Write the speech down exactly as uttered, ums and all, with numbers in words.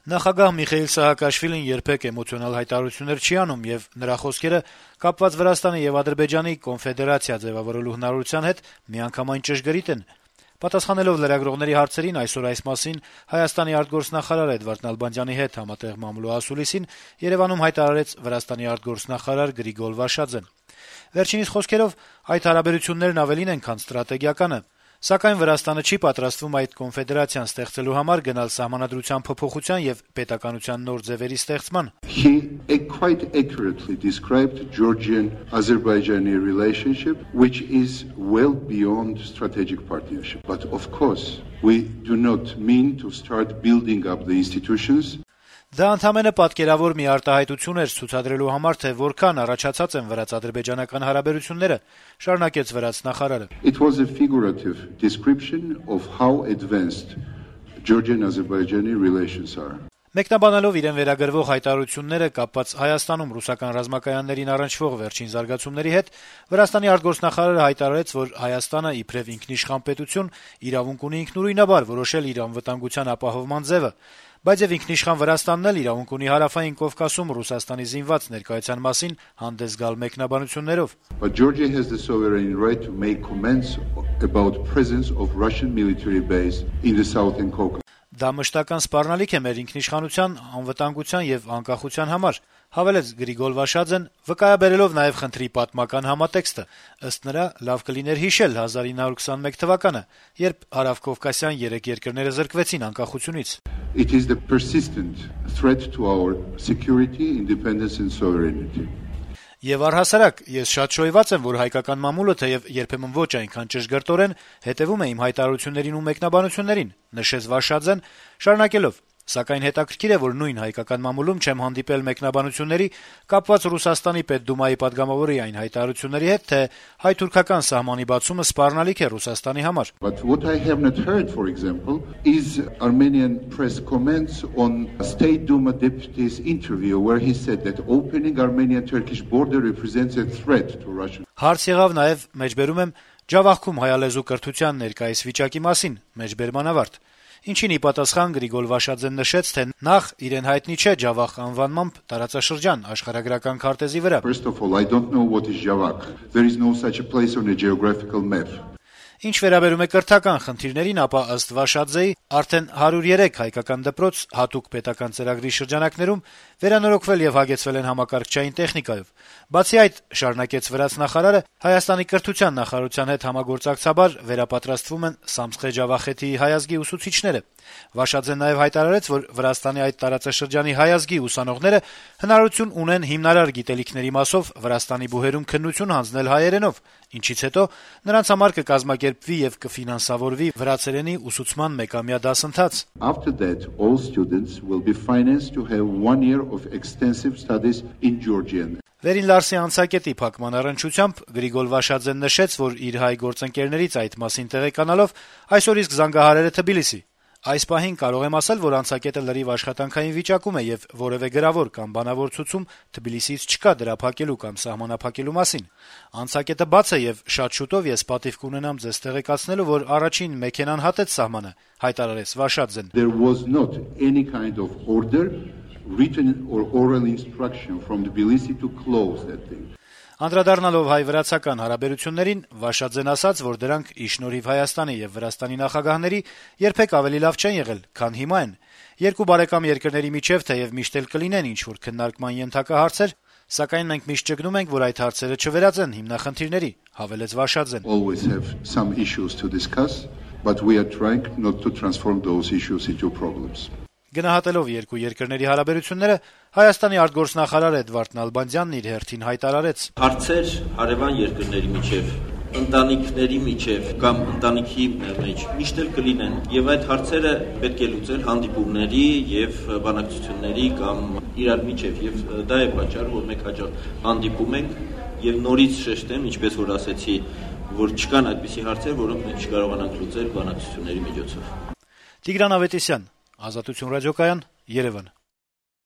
Նախագահ Միխեիլ Սահակաշվիլին երբեք էմոցիոնալ հայտարարություններ չի անում, եւ նրա խոսքերը կապված Վրաստանի եւ Ադրբեջանի կոնֆեդերացիա ձեւավորելու հնարավորության հետ միանգամայն ճշգրիտ են։ Պատասխանելով լրագրողների հարցերին այսօր այս մասին Հայաստանի արտգործնախարար Էդվարդ Նալբանդյանի հետ համատեղ մամուլու ասուլիսին Երևանում հայտարարեց Վրաստանի արտգործնախարար Գրիգոր Վաշաձեն։ Վերջինիս խոսքերով այդ հարաբերություններն ավելին են, քան ստրատեգիականը, սակայն Վրաստանը չի պատրաստվում այդ կոնֆեդերացիան ստեղծելու համար գնալ սահմանադրության փոփոխության եւ պետականության նոր ձևերի ստեղծման։ He quite accurately described Georgian-Azerbaijani relationship, which is well beyond strategic partnership. But of course, we do not mean to start building up the institutions. Դա ընդհանրապես պատկերավոր մի արտահայտություն էր ցուցադրելու համար, թե որքան առաջացած են վրաց-ադրբեջանական հարաբերությունները, շարունակեց վրաց նախարարը։ It was a figurative description of how advanced Georgian-Azerbaijani relations are. Մեկնաբանելով իրեն վերագրվող հայտարարությունները կապված Հայաստանում ռուսական ռազմակայաններին առնչվող վերջին զարգացումների հետ, Վրաստանի արտգործնախարարը հայտարարեց, որ Հայաստանը իբրև ինքնիշխան պետություն իրավունք ունի ինքնուրույնաբար որոշել իր անվտանգության ապահովման ձևը, բայց եւ ինքնիշխան Վրաստանն էլ իրավունք ունի Հարավային Կովկասում Ռուսաստանի զինված ներկայության մասին հանդես գալ մեկնաբանություններով։ But Georgia has the sovereign right to make comments about presence of Russian military base in the southern Caucasus. Դա մշտական սպառնալիք է մեր ինքնիշխանության, անվտանգության եւ անկախության համար, հավելեց Գրիգոր Վաշաձեն, վկայաբերելով նաեւ խնդրի պատմական համատեքստը։ Ըստ նրա, լավ կլիներ հիշել հազար ինը հարյուր քսանմեկ թվականը, երբ հարավկովկասյան երեք երկրները զրկվեցին անկախությունից։ It is the persistent threat to our security, independence and sovereignty. Եվ առհասարակ, ես շատ շոյված եմ, որ հայկական մամուլը թեև երբեմն ոչ այնքան ճշգրտորեն հետևում է իմ հայտարարություններին ու մեկնաբանություններին, նշեց Վաշաձեն, շարունակելով. Սակայն հետաքրքիր է, որ նույն հայկական մամուլում չեմ հանդիպել մեկնաբանությունների կապված Ռուսաստանի պետդումայի падգամավորի այն հայտարարությունների հետ, թե հայ-թուրքական սահմանի բացումը սպառնալիք է Ռուսաստանի համար։ But what I have not heard, for example, is Armenian press comments on State Duma deputy's interview where he said that opening Armenian-Turkish border represents a threat to Russia. Հարց եղավ նաև, մեջբերում եմ, Ջավախքում հայալեզու կրթության ներկայիս վիճակի մասին, մեջբերման ավարտ։ Ինչին ի պատասխան Գրիգոր Վաշաձեն նշեց, թե նախ իրեն հայտնի չէ Ջավախ անվանմամբ տարածաշրջան աշխարհագրական քարտեզի վրա։ First of all, I don't know what is Javak. There is no such a place on a geographical map. Ինչ վերաբերում է կրթական խնդիրներին, ապա ըստ Վաշաձեի արդեն հարյուր երեք հայկական դպրոց հատուկ պետական ծրագրի շրջանակներում վերանորոգվել եւ հագեցվել են համակարգչային տեխնիկայով։ Բացի այդ, շարունակեց վրաց նախարարը, Հայաստանի կրթության նախարարության հետ համագործակցաբար վերապատրաստվում են Սամսխե Ջավախեթի հայազգի ուսուցիչները։ Վաշաձեն նաեւ հայտարարեց, որ Վրաստանի այդ տարածաշրջանի հայազգի ուսանողները հնարավորություն ունեն հիմնարար գիտելիքների մասով Վրաստանի բուհերում քննություն հանձնել հայերենով, ինչից հետո նրանց համար կկազմակերպվի եւ կֆինանսավորվի վրացերենի ուսուցման մեկամյա դասընթաց։ After that, all students will be financed to have one year of extensive studies in Georgian. Վերին Լարսի անցակետի փակման առնչությամբ Գրիգոր Վաշաձեն նշեց, որ իր հայ գործընկերներից այդ մասին տեղեկանալով այսօր իսկ զանգահարել է Թբիլիսի։ Այս պահին կարող եմ ասել, որ անցակետը լրիվ աշխատանքային վիճակում է եւ որևէ գրավոր կամ բանավոր ցուցում Թբիլիսից չկա դրա փակելու կամ սահմանափակելու մասին։ Անցակետը բաց է եւ շատ շուտով ես պատիվ կունենամ ձեզ տեղեկացնելու, որ առաջին մեքենան հատեց սահմանը, հայտարարեց Վաշաձեն։ There was not any kind of order, written or oral instruction from Tbilisi to close that thing. Անդրադառնալով հայ-վրացական հարաբերություններին, Վաշաձեն ասաց, որ դրանք ի շնորհիվ Հայաստանի եւ Վրաստանի նախագահների երբեք ավելի լավ չեն եղել, քան հիմա են։ Երկու բարեկամ երկրների միջև թեև միշտ էլ կլինեն ինչ-որ քննարկման ենթակա հարցեր, սակայն մենք միշտ ճգնում ենք, որ այդ հարցերը չվերածեն հիմնախնդիրների, հավելեց Վաշաձեն։ Always have some issues to discuss, but we are trying not to transform those issues into problems. Գնահատելով երկու երկրների հարաբերությունները, Հայաստանի արտգործնախարար Էդվարդ Նալբանդյանն իր հերթին հայտարարեց. Հարցեր հարևան երկրների միջև, ընտանիքների միջև կամ ընտանիքի մեջ միշտ էլ կլինեն, եւ այդ հարցերը պետք է լուծել հանդիպումների եւ բանակցությունների կամ իրար միջև, եւ դա է պատճառը, որ մենք հաջող հանդիպում ենք եւ նորից շեշտեմ, ինչպես որ ասեցի, որ չկան այդպիսի հարցեր, որոնք մենք չկարողանանք լուծել բանակցությունների միջոցով։ Տիգրան Ավետիսյան, Ազատություն ռադիոկայան, Երևան։